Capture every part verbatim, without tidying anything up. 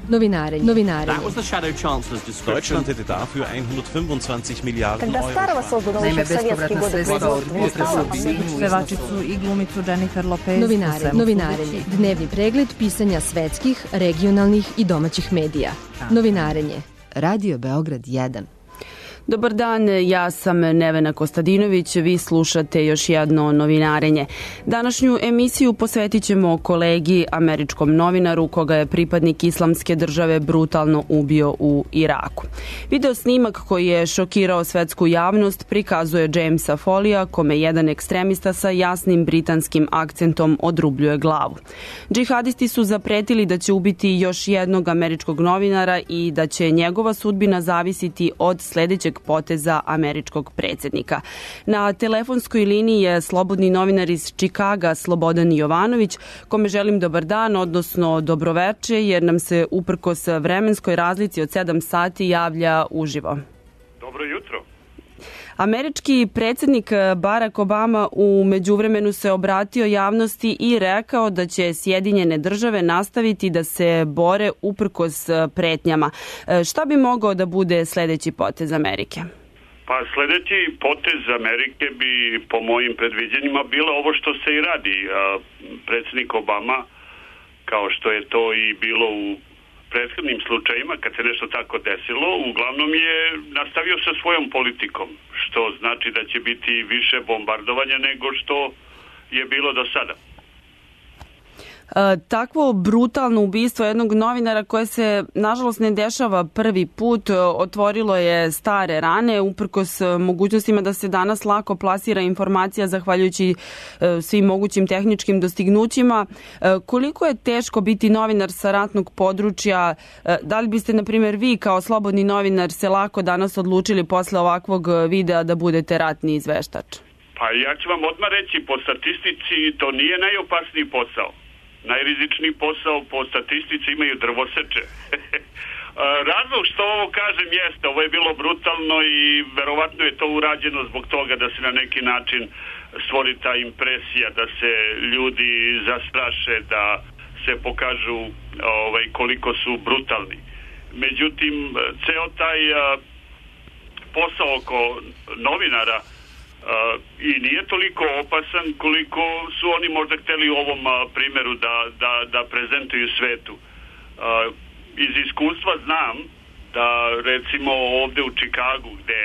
Novinarenje. Novinarenje. That was the Shadow Chancellor's description. Deutschland hätte dafür hundertfünfundzwanzig Miliarden Когда Euro. Старого создано Naime, еще в советские bespovratna годы sredstva od производства не стало. pevačicu i glumicu Jennifer Lopez. Novinarenje. Novinarenje. Dnevni pregled pisanja svetskih, regionalnih i domaćih medija. Novinarenje. Radio Beograd jedan. Dobar dan, ja sam Nevena Kostadinović, vi slušate još jedno novinarenje. Današnju emisiju posvetit ćemo kolegi, američkom novinaru koga je pripadnik Islamske države brutalno ubio u Iraku. Video snimak koji je šokirao svetsku javnost prikazuje Jamesa Folija, kome jedan ekstremista sa jasnim britanskim akcentom odrubljuje glavu. Džihadisti su zapretili da će ubiti još jednog američkog novinara i da će njegova sudbina zavisiti od sledećeg poteza američkog predsjednika. Na telefonskoj liniji je slobodni novinar iz Čikaga Slobodan Jovanović, kome želim dobar dan, odnosno dobroveče, jer nam se uprkos vremenskoj razlici od sedam sati javlja uživo. Dobro jutro. Američki predsjednik Barack Obama u međuvremenu se obratio javnosti i rekao da će Sjedinjene države nastaviti da se bore uprkos pretnjama. Šta bi mogao da bude sledeći potez Amerike? Pa sledeći potez Amerike bi po mojim predviđenjima bilo ovo što se i radi. Predsjednik Obama, kao što je to i bilo u prethodnim slučajima, kad se nešto tako desilo, uglavnom je nastavio sa svojom politikom, što znači da će biti više bombardovanja nego što je bilo do sada. Takvo brutalno ubistvo jednog novinara koje se nažalost ne dešava prvi put, otvorilo je stare rane uprkos mogućnostima da se danas lako plasira informacija zahvaljujući svim mogućim tehničkim dostignućima. Koliko je teško biti novinar sa ratnog područja? Da li biste, na primjer, vi kao slobodni novinar se lako danas odlučili posle ovakvog videa da budete ratni izveštač? Pa ja ću vam odmah reći, po statistici to nije najopasniji posao. Najrizičniji posao po statistici imaju drvoseče. Razlog što ovo kažem jeste, ovo je bilo brutalno i verovatno je to urađeno zbog toga da se na neki način stvori ta impresija, da se ljudi zastraše, da se pokažu ovaj, koliko su brutalni. Međutim, ceo taj a, posao oko novinara Uh, i nije toliko opasan koliko su oni možda hteli u ovom uh, primjeru da, da, da prezentuju svetu. Uh, iz iskustva znam da recimo ovde u Čikagu, gde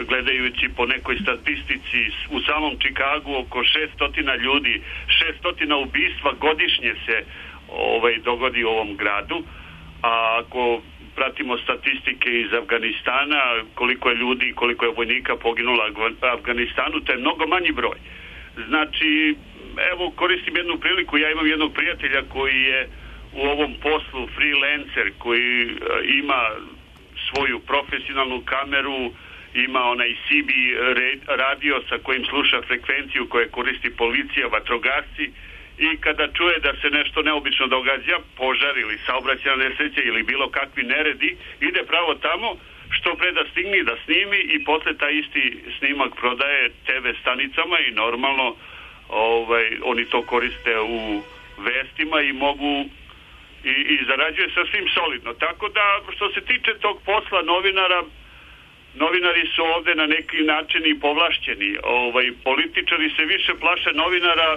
gledajući po nekoj statistici u samom Čikagu oko šesto ljudi, šesto ubistva godišnje se ovaj, dogodi u ovom gradu, a ako pratimo statistike iz Afganistana, koliko je ljudi, koliko je vojnika poginulo u Afganistanu, to je mnogo manji broj. Znači, evo, koristim jednu priliku, ja imam jednog prijatelja koji je u ovom poslu freelancer, koji ima svoju profesionalnu kameru, ima onaj C B radio sa kojim sluša frekvenciju koje koristi policija, vatrogasci, i kada čuje da se nešto neobično događa, požar ili saobraćajna nesreća ili bilo kakvi neredi, ide pravo tamo, što pre da stigne da snimi i posle taj isti snimak prodaje te ve stanicama i normalno ovaj, oni to koriste u vestima i mogu i, i zarađuje sasvim solidno. Tako da što se tiče tog posla novinara, novinari su ovde na neki način i povlašćeni. Ovaj, političari se više plaše novinara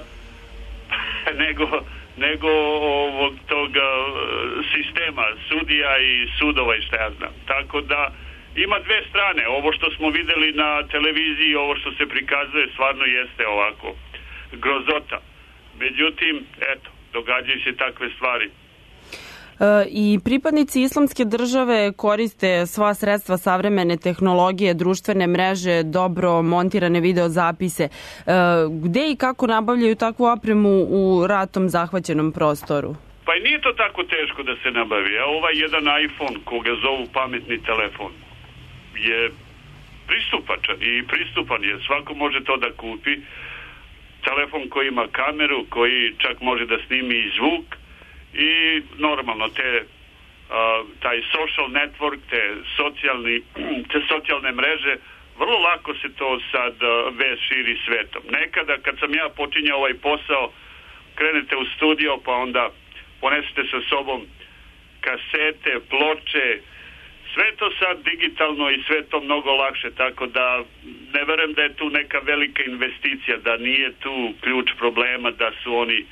nego, nego ovog toga sistema, sudija i sudova i šta ja znam. Tako da ima dve strane. Ovo što smo videli na televiziji, ovo što se prikazuje stvarno jeste ovako grozota. Međutim, eto, događaju se takve stvari. I pripadnici Islamske države koriste sva sredstva savremene tehnologije, društvene mreže, dobro montirane videozapise. Gde i kako nabavljaju takvu opremu u ratom zahvaćenom prostoru? Pa i nije to tako teško da se nabavi. Ovaj jedan iPhone, koga zovu pametni telefon, je pristupačan i pristupan je. Svako može to da kupi. Telefon koji ima kameru, koji čak može da snimi i zvuk, i normalno te uh, taj social network, te socijalni te socijalne mreže, vrlo lako se to sad uh, vez širi svetom. Nekada kad sam ja počinjao ovaj posao, krenete u studio pa onda ponesete sa sobom kasete, ploče, sve to sad digitalno i sve to mnogo lakše, tako da ne verujem da je tu neka velika investicija, da nije tu ključ problema, da su oni,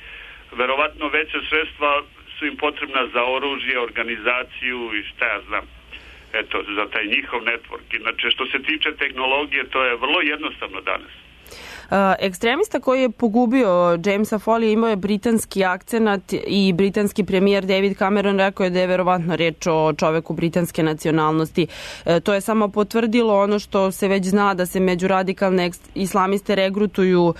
verovatno veća sredstva su im potrebna za oružje, organizaciju i šta ja znam, eto, za taj njihov network. Inače, što se tiče tehnologije, to je vrlo jednostavno danas. Ekstremista koji je pogubio Jamesa Foley imao je britanski akcenat i britanski premijer David Cameron rekao je da je verovatno reč o čoveku britanske nacionalnosti. To je samo potvrdilo ono što se već zna, da se među radikalne islamiste regrutuju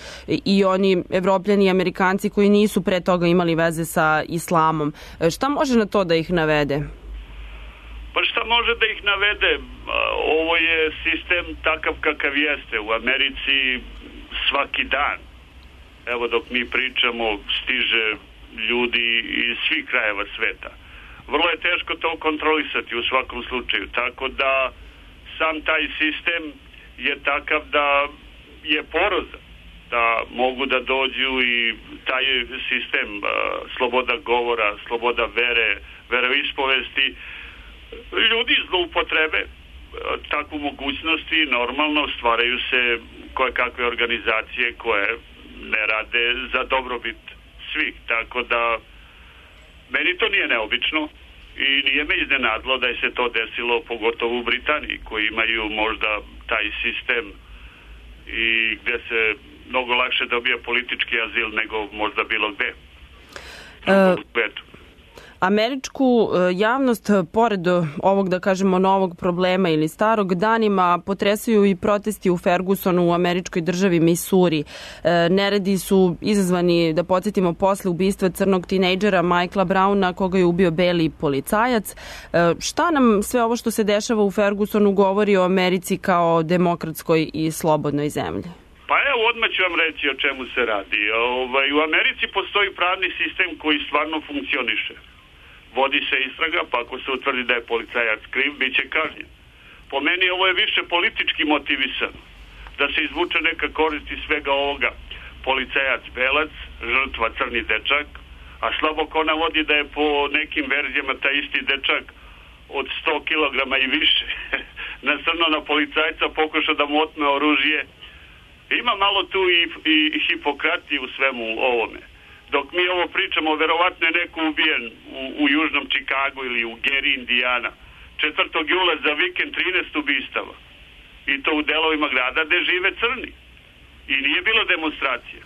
i oni Evropljani i Amerikanci koji nisu pre toga imali veze sa islamom. Šta može na to da ih navede? Pa šta može da ih navede? Ovo je sistem takav kakav jeste. U Americi svaki dan, evo dok mi pričamo, stiže ljudi iz svih krajeva sveta. Vrlo je teško to kontrolisati u svakom slučaju, tako da sam taj sistem je takav da je porozan, da mogu da dođu i taj sistem uh, sloboda govora, sloboda vere, veroispovesti, ljudi zloupotrebe takvu mogućnost i normalno stvaraju se koje kakve organizacije koje ne rade za dobrobit svih, tako da meni to nije neobično i nije me iznenadilo da je se to desilo pogotovo u Britaniji koji imaju možda taj sistem i gde se mnogo lakše dobija politički azil nego možda bilo gde uh... u svetu. Američku javnost, pored ovog, da kažemo, novog problema ili starog, danima potresaju i protesti u Fergusonu u američkoj državi Missouri. Neredi su izazvani, da podsjetimo, posle ubistva crnog tinejdžera Michaela Browna, koga je ubio beli policajac. Šta nam sve ovo što se dešava u Fergusonu govori o Americi kao demokratskoj i slobodnoj zemlji? Pa evo, odmah ću vam reći o čemu se radi. Ovaj, u Americi postoji pravni sistem koji stvarno funkcioniše. Vodi se istraga, pa ako se utvrdi da je policajac kriv, bit će kažnjen. Po meni ovo je više politički motivisano. Da se izvuče neka korist iz svega ovoga. Policajac belac, žrtva crni dečak, a slabo ko navodi da je po nekim verzijama taj isti dečak od sto kilograma i više nasrnuo na policajca, pokušao da mu otme oružje. Ima malo tu i, i hipokratije u svemu ovome. Dok mi ovo pričamo, verovatno je neko ubijen u, u južnom Čikagu ili u Geri, Indijana. četvrtog jula za vikend trinaest ubistava. I to u delovima grada gde žive crni. I nije bilo demonstracija.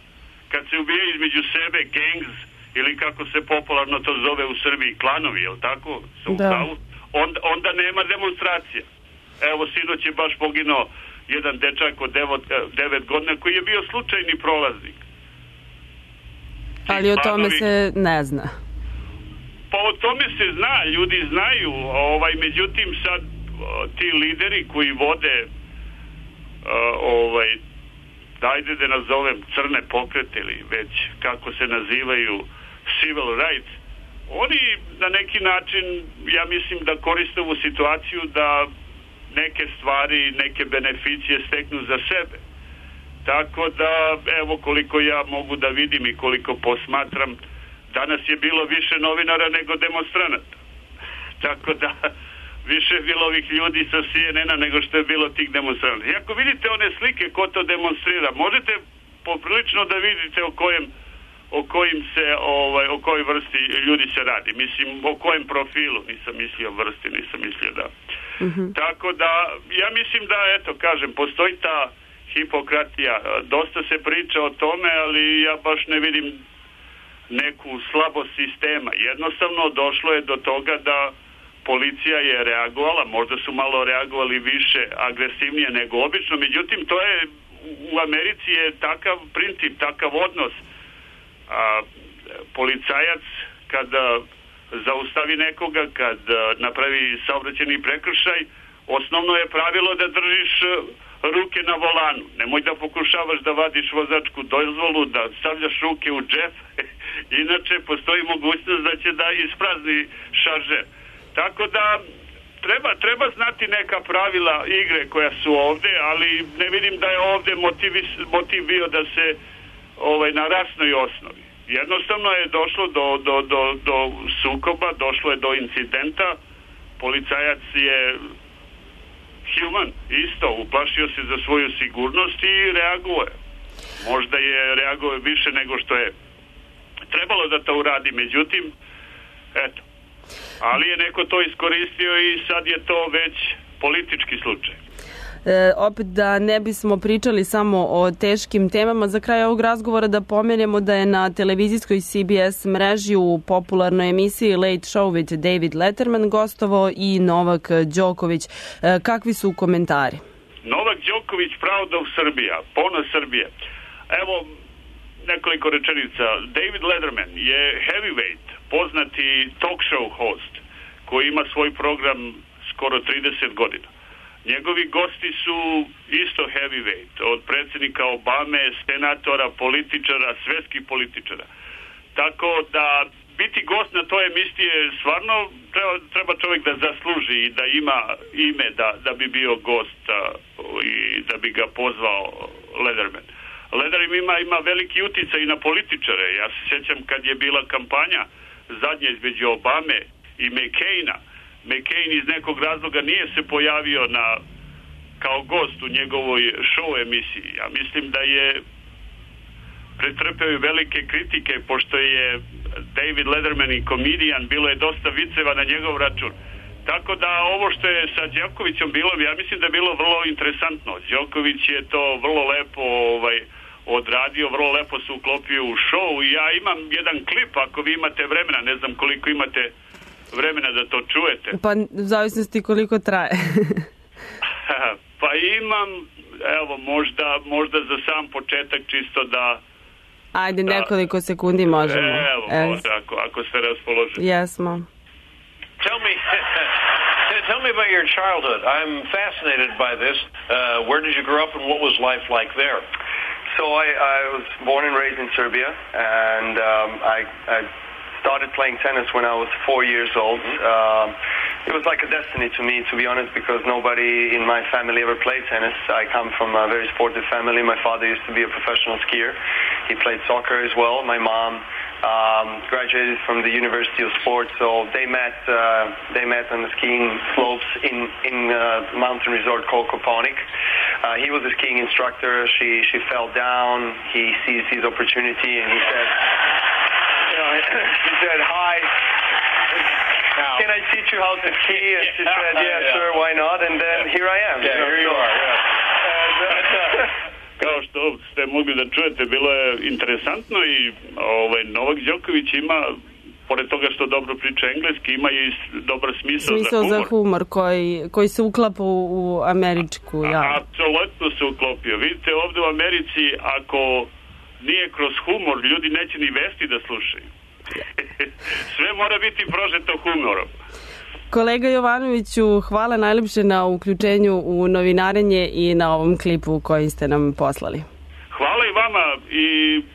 Kad se ubije između sebe gangs, ili kako se popularno to zove u Srbiji, klanovi, je li tako? Da. Onda, onda nema demonstracija. Evo, sinoć je baš poginuo jedan dečak od devet godina koji je bio slučajni prolaznik. Ali o tome se ne zna. Pa o tome se zna, ljudi znaju, ovaj, međutim sad ti lideri koji vode ovaj, dajde da nazovem crne pokrete ili već kako se nazivaju civil rights, oni na neki način, ja mislim da koriste ovu situaciju da neke stvari, neke beneficije steknu za sebe. Tako da, evo koliko ja mogu da vidim i koliko posmatram, danas je bilo više novinara nego demonstranata. Tako da, više je bilo ovih ljudi sa C N N-a nego što je bilo tih demonstranata. I ako vidite one slike ko to demonstrira, možete poprilično da vidite o kojem o kojim se, ovaj, o kojoj vrsti ljudi se radi. Mislim, o kojem profilu, nisam mislio vrsti, nisam mislio da. Mm-hmm. Tako da, ja mislim da, eto, kažem, postoji ta hipokratija. Dosta se priča o tome, ali ja baš ne vidim neku slabost sistema. Jednostavno došlo je do toga da policija je reagovala, možda su malo reagovali više, agresivnije nego obično, međutim, to je, u Americi je takav princip, takav odnos. A, policajac kada zaustavi nekoga, kad napravi saobraćajni prekršaj, osnovno je pravilo da držiš ruke na volanu. Nemoj da pokušavaš da vadiš vozačku dozvolu, da stavljaš ruke u džep, inače postoji mogućnost da će da isprazni šaržer. Tako da treba, treba znati neka pravila igre koja su ovde, ali ne vidim da je ovde motiv, motiv bio da se ovaj, na rasnoj osnovi. Jednostavno je došlo do, do, do, do sukoba, došlo je do incidenta, policajac je human, isto, uplašio se za svoju sigurnost i reaguje. Možda je reaguje više nego što je trebalo da to uradi, međutim, eto. Ali je neko to iskoristio i sad je to već politički slučaj. E, opet da ne bismo pričali samo o teškim temama, za kraj ovog razgovora da pomenemo da je na televizijskoj C B S mreži u popularnoj emisiji Late Show with David Letterman gostovao i Novak Đoković. E, kakvi su komentari? Novak Đoković, Proud of Srbija, ponos Srbije. Evo nekoliko rečenica. David Letterman je heavyweight, poznati talk show host koji ima svoj program skoro trideset godina. Njegovi gosti su isto heavyweight, od predsjednika Obame, senatora, političara, svetskih političara. Tako da biti gost na toj emisiji je stvarno treba, treba čovjek da zasluži i da ima ime da, da bi bio gost a, i da bi ga pozvao Letterman. Letterman ima, ima veliki uticaj i na političare. Ja se sjećam kad je bila kampanja zadnje između Obame i McCaina. McCain iz nekog razloga nije se pojavio na, kao gost u njegovoj show emisiji. Ja mislim da je pretrpeo velike kritike, pošto je David Letterman i komedijan, bilo je dosta viceva na njegov račun. Tako da ovo što je sa Đokovićem bilo, ja mislim da je bilo vrlo interesantno. Đoković je to vrlo lepo ovaj, odradio, vrlo lepo se uklopio u show i ja imam jedan klip, ako vi imate vremena, ne znam koliko imate vremena da to čujete. Pa u zavisnosti koliko traje. Pa imam, evo, možda, možda za sam početak čisto da... Ajde, da, nekoliko sekundi možemo. Evo, možda, ako, ako ste raspoloženi. Jesmo. Tell me, tell me about your childhood. I'm fascinated by this. Uh, where did you grow up and what was life like there? So I, I was born and raised in Serbia, and um, I, I started playing tennis when I was four years old. Um, it was like a destiny to me, to be honest, because nobody in my family ever played tennis. I come from a very sportive family. My father used to be a professional skier. He played soccer as well. My mom um, graduated from the University of Sports, so they met. Uh, they met on the skiing slopes in in a mountain resort called Koponik. Uh, he was a skiing instructor. She she fell down. He sees his opportunity, and he said. She said, hi, can I teach you how to ski? And she said, yeah, yeah, sure, why not? And then here I am. Yeah, here you are, yeah. And, uh, Kao što ste mogli da čujete, bilo je interesantno i ovaj, Novak Đoković ima, pored toga što dobro priča engleski, ima i dobar smisao, smisao za humor. za humor koji, koji se uklapa u, u američku. Ja. Apsolutno se uklopio. Vidite, ovdje u Americi, ako nije kroz humor, ljudi neće ni vesti da slušaju. Sve mora biti prožeto humorom. Kolega Jovanoviću, hvala najlepše na uključenju u novinarenje i na ovom klipu koji ste nam poslali. Hvala i vama i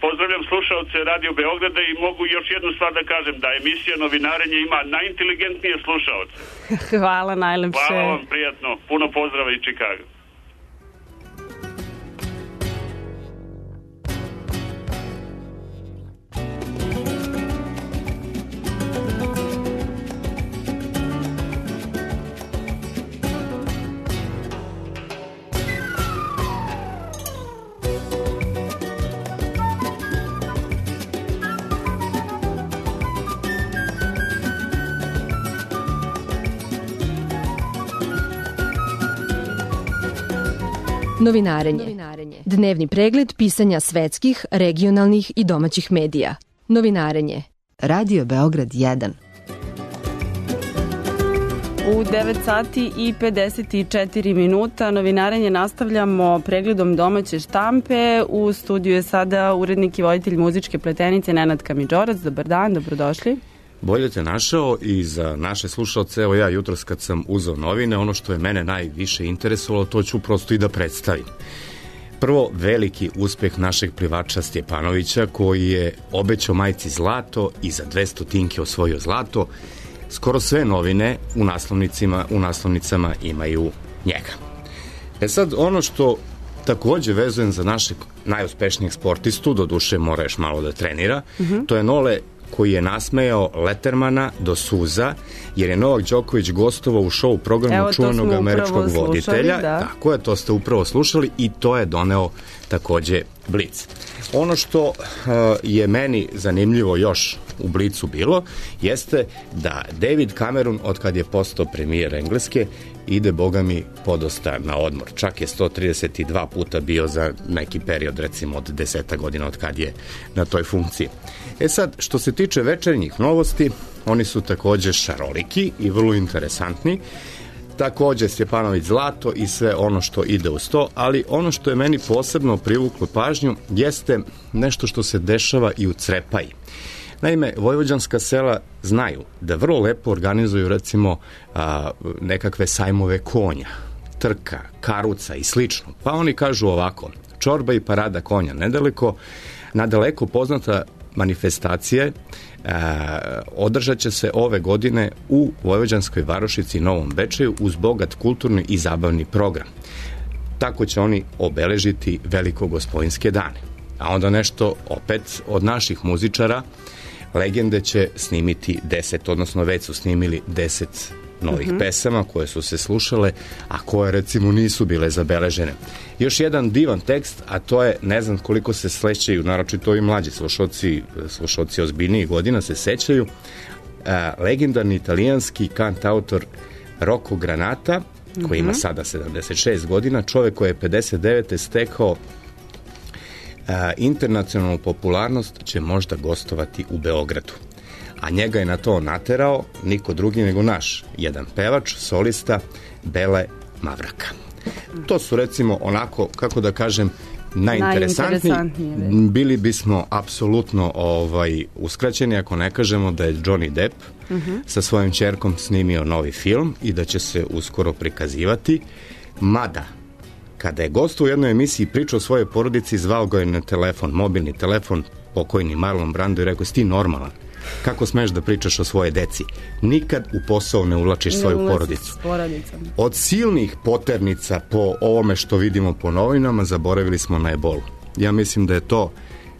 pozdravljam slušaoce Radio Beograda i mogu još jednu stvar da kažem, da emisija Novinarenje ima najinteligentnije slušaoce. Hvala najlepše. Hvala vam, prijatno. Puno pozdrava iz Čikaga. Novinarenje. Dnevni pregled pisanja svetskih, regionalnih i domaćih medija. Novinarenje. Radio Beograd jedan. U devet sati i pedeset četiri minuta novinarenje nastavljamo pregledom domaće štampe. U studiju je sada urednik i voditelj muzičke pletenice Nenad Kamidžorac. Dobar dan, dobrodošli. Bolje te našao i za naše slušalce, evo ja jutros kad sam uzeo novine, ono što je mene najviše interesovalo, to ću prosto i da predstavim. Prvo, veliki uspeh našeg plivača Stjepanovića, koji je obećao majci zlato i za dvesta tinke osvojio zlato. Skoro sve novine u naslovnicima, u naslovnicama imaju njega. E sad, ono što takođe vezujem za našeg najuspešnijeg sportistu, do duše mora još malo da trenira. Uh-huh. To je Nole koji je nasmejao Lettermana do suza, jer je Novak Đoković gostovao u show programu čuvenog američkog voditelja. Da. Tako je, to ste upravo slušali i to je doneo takođe Blic. Ono što uh, je meni zanimljivo još u Blicu bilo, jeste da David Cameron, od kad je postao premijer Engleske, ide, boga mi, podosta na odmor. Čak je sto trideset dva puta bio za neki period, recimo od deseta godina od kad je na toj funkciji. E sad, što se tiče večernjih novosti, oni su takođe šaroliki i vrlo interesantni. Takođe Stjepanović Zlato i sve ono što ide uz to, ali ono što je meni posebno privuklo pažnju jeste nešto što se dešava i u Crepaji. Naime, vojvođanska sela znaju da vrlo lepo organizuju recimo a, nekakve sajmove konja, trka, karuca i slično. Pa oni kažu ovako, čorba i parada konja nedaleko, nadaleko poznata manifestacije a, održat će se ove godine u Vojvođanskoj varošici Novom Bečeju uz bogat kulturni i zabavni program. Tako će oni obeležiti Velikogospojinske dane. A onda nešto opet od naših muzičara, Legende će snimiti deset, odnosno već su snimili deset novih uh-huh. pesama koje su se slušale, a koje recimo nisu bile zabeležene. Još jedan divan tekst, a to je, ne znam koliko se slećaju, naročito i mlađi slušoci, slušoci ozbiljnijih godina se sećaju, a, legendarni italijanski kantautor Rocco Granata, koji uh-huh. ima sada sedamdeset šest godina, čovek koji je pedeset devete stekao A, internacionalnu popularnost, će možda gostovati u Beogradu. A njega je na to naterao niko drugi nego naš, jedan pevač, solista, Bele Mavraka. To su recimo onako, kako da kažem, najinteresantniji. Bili bismo apsolutno ovaj, uskraćeni ako ne kažemo da je Johnny Depp uh-huh. sa svojim ćerkom snimio novi film i da će se uskoro prikazivati, mada kada je gostu u jednoj emisiji pričao o svojoj porodici, zvao ga je na telefon, mobilni telefon, pokojni Marlon Brando, i rekao, si ti normalan? Kako smeš da pričaš o svoje deci? Nikad u posao ne uvlačiš ne svoju porodicu. Od silnih poternica po ovome što vidimo po novinama, zaboravili smo na ebolu. Ja mislim da je to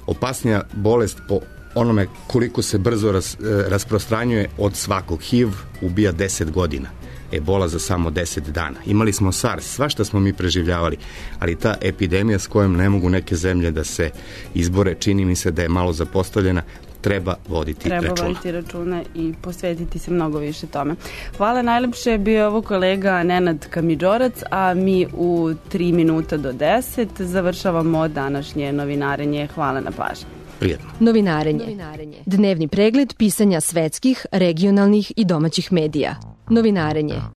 opasnija bolest po onome koliko se brzo ras, rasprostranjuje od svakog. H I V ubija deset godina. Ebola za samo deset dana. Imali smo SARS, svašta smo mi preživljavali, ali ta epidemija s kojom ne mogu neke zemlje da se izbore, čini mi se da je malo zapostavljena, treba voditi treba računa. Treba voditi računa i posvetiti se mnogo više tome. Hvala, najlepše, bio je ovo kolega Nenad Kamidžorac, a mi u tri minuta do deset završavamo današnje novinarenje. Hvala na pažnji. Prijetno. Novinarenje. Novinarenje. Dnevni pregled pisanja svetskih, regionalnih i domaćih medija. Novinarenje.